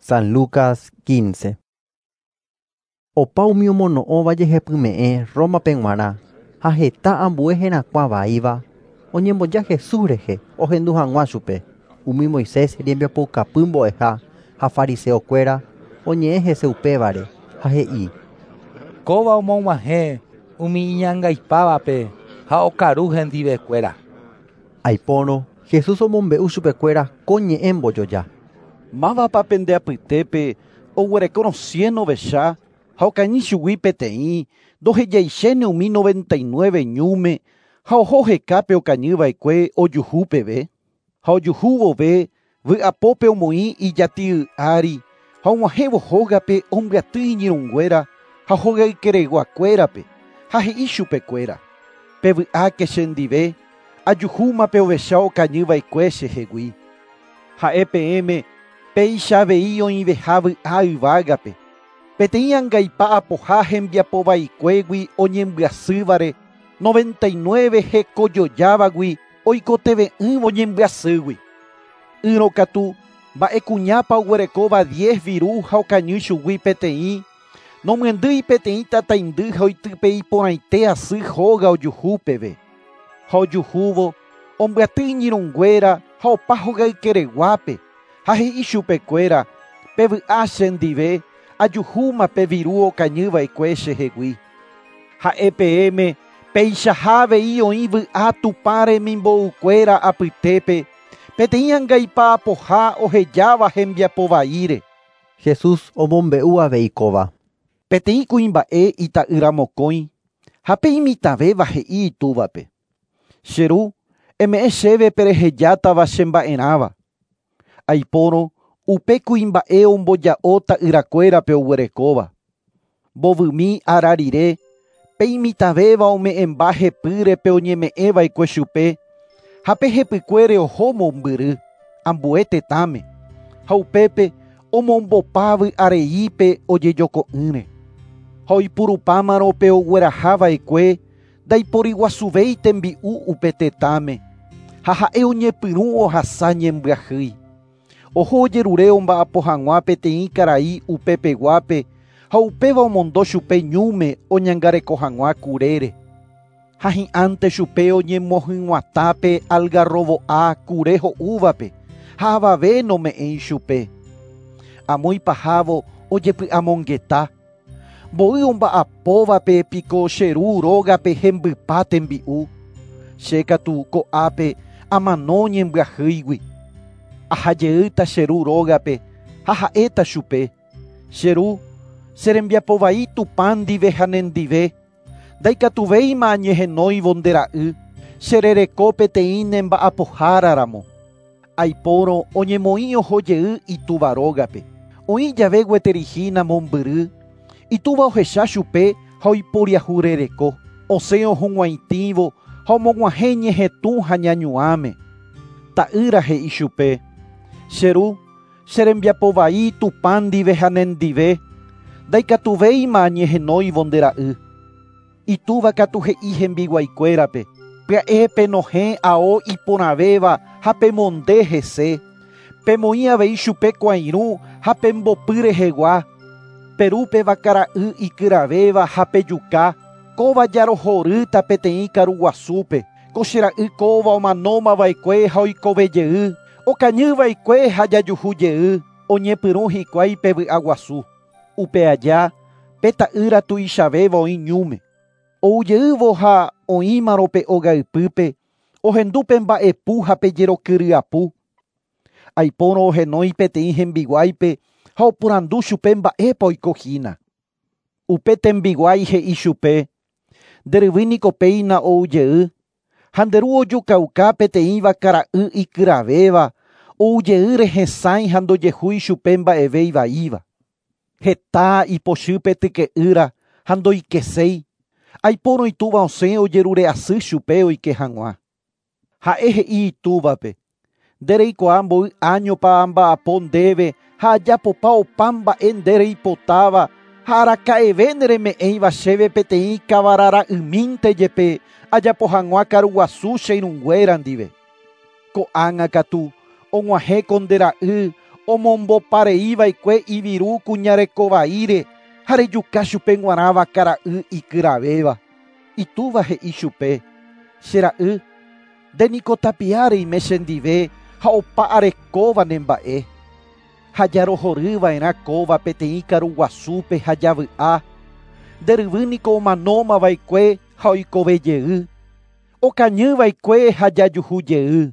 San Lucas 15. Opa umi omono'õva jehepyme'ẽ Roma-pe g̃uarã ha heta ambue herakuã vaíva oñemboja Jesús rehe ohendu hag̃ua chupe. Umi Moisés rembiapoukapy mbo'eha ha fariseokuéra oñe'ẽ hese upévare ha he'i: Kóva omog̃uahẽ umi iñangaipávape ha okaru hendivekuéra. Aipórõ Jesús omombe'u chupekuéra ko ñe'ẽ mbojoja. Mávapa pende apytépe oguerekórõ cien ovecha ha okañy chugui peteĩ ndohejaichéne umi 99 ñúme ha oho hekápe okañyva'ekue ojuhu peve. Ha ojuhu vove vy'apópe omoĩ ijati'y ári ha og̃uahẽvo hógape ombyaty iñirũnguéra ha hogaykereguakuérape ha he'i chupekuéra: Pevy'áke chendive, ajuhúma pe ovecha okañyva'ekue chehegui. Ha'e peẽme péicha avei oĩveha vy'a yvágape. Peteĩ angaipa apoha hembiapovaikuégui oñembyasývare 99 hekojojávagui oikoteve'ỹvo ñembyasýgui. Ỹrõ katu mba'e kuñápa oguerekóva 10 viru ha okañy chugui peteĩ nomyendýi peteĩ tataindy ha oitype iporãite asy hóga ojuhu peve. Ha ojuhúvo ombyaty iñirũnguéra ha opa hogaykereguápe ha he'i chupekuéra pevy'a chendive ajuhúma pe viru okañyva'ekue chehegui. Ha'e peẽme péichaha avei oĩ vy'a Tupã remimbo'ukuéra apytépe peteĩ angaipa apoha ohejáva hembiapovaíre. Jesús omombe'u avei kóva. Peteĩ kuimba'e ita'ýra mokõi ha pe imitãvéva he'i itúvape: Che ru, eme'ẽ chéve perehejátava chemba'erãva. Aipórõ upe kuimba'e omboja'o ta'yrakuérape oguerekóva. Mbovymi ára rire pe imitãvéva ome'ẽmba hepýre pe oñeme'ẽva'ekue chupe ha pe hepykuére oho mombyry ambue tetãme ha upépe omombopa vy'areípe ojejoko'ỹre. Ha oipurupámarõ pe oguerahava'ekue ndaiporiguasuvéi tembi'u upe tetãme ha ha'e oñepyrũ ohasa ñembyahýi. Oho ojerure omba'apo hag̃ua peteĩ karai upepeguápe ha upéva omondo chupe ñúme oñangareko hag̃ua kurére. Ha hi'ãnte chupe oñemohyg̃uatãpe algarrobo'a kure ho'úvape ha avave nome'ẽi chupe. Amo ipahávo ojepy'amongeta. Mboy omba'apóvape piko che ru rógape hembypa tembi'u. Che katu ko'ápe amano ñembyahýigui. Ahajeýta che ru rógape ha ha'éta chupe. Che ru, che rembiapovai Tupã ndive ha nendive. Ndaikatuvéima añehenóivo nde ra'y, che rereko peteĩ nemba'apoháraramo. Aipórõ oñemoĩ oho jey itúva rógape. Oĩ jave gueterihína mombyry, itúva ohecha chupe ha oiporiahurereko. Osẽ ohug̃uaitĩvo ha omog̃uahẽ ñehetũ ha ñañuãme. Ta'ýra he'i chupe: Che ru, che rembiapovai Tupã ndive ha nendive, ndaikatuvéima añehenóivo nde ra'y. Itúva katu he'i hembiguaikuérape: Pya'e penohẽ ao iporãvéva ha pemonde hese. Pemoĩ avei chupe kuãirũ ha pembopy rehegua. Perúpe vakara'y ikyravéva ha pejuka, kóva jarohorýta peteĩ karuguasúpe. Ko che ra'y kóva omanómava'ekue ha oikovejey, okañyva'ekue ha jajuhujey, oñepyrũ hikuái pe vy'aguasu. Upe aja, pe ta'ýra tuichavéva oĩ ñúme. Oujeývo ha oĩmarõ pe ogaypýpe, ohendu pe mba'epu ha pe jerokyry'apu. Aipórõ ohenói peteĩ hembiguáipe ha oporandu chupe mba'épa oikohína. Upe tembiguái he'i chupe: Nderyvýi niko péina oujey, ha nde ru ojukauka peteĩ vakara'y ikyravéva, oujeýre hesãi ha ndojehúi chupe mba'eve ivaíva. Heta ipochýpe tyke'ýra ha ndoikeséi. Aipórõ itúva osẽ ojerure asy chupe oike hag̃ua. Ha'e he'i itúvape: Ndereikuaa mboy áñopa amba'apo ndéve ha ajapopa opa mba'e nde reipotáva ha araka'eve nereme'ẽiva chéve peteĩ kavarara'ymínte jepe ajapo hag̃ua karuguasu che irũnguéra ndive. Ko'ág̃a katu og̃uahẽ ko nde ra'y Omombopareiva'ekue iviru kuñarekovaíre ha rejuka chupe g̃uarã vakara'y ikyravéva. Itúva he'i chupe: Che ra'y, nde niko tapia reime chendive ha opa arekóva nemba'e. Ha jarohoryva'erã kóva peteĩ karuguasúpe ha javy'a. Nde ryvy niko omanómava'ekue ha oikovejey. Okañyva'ekue ha jajuhujey.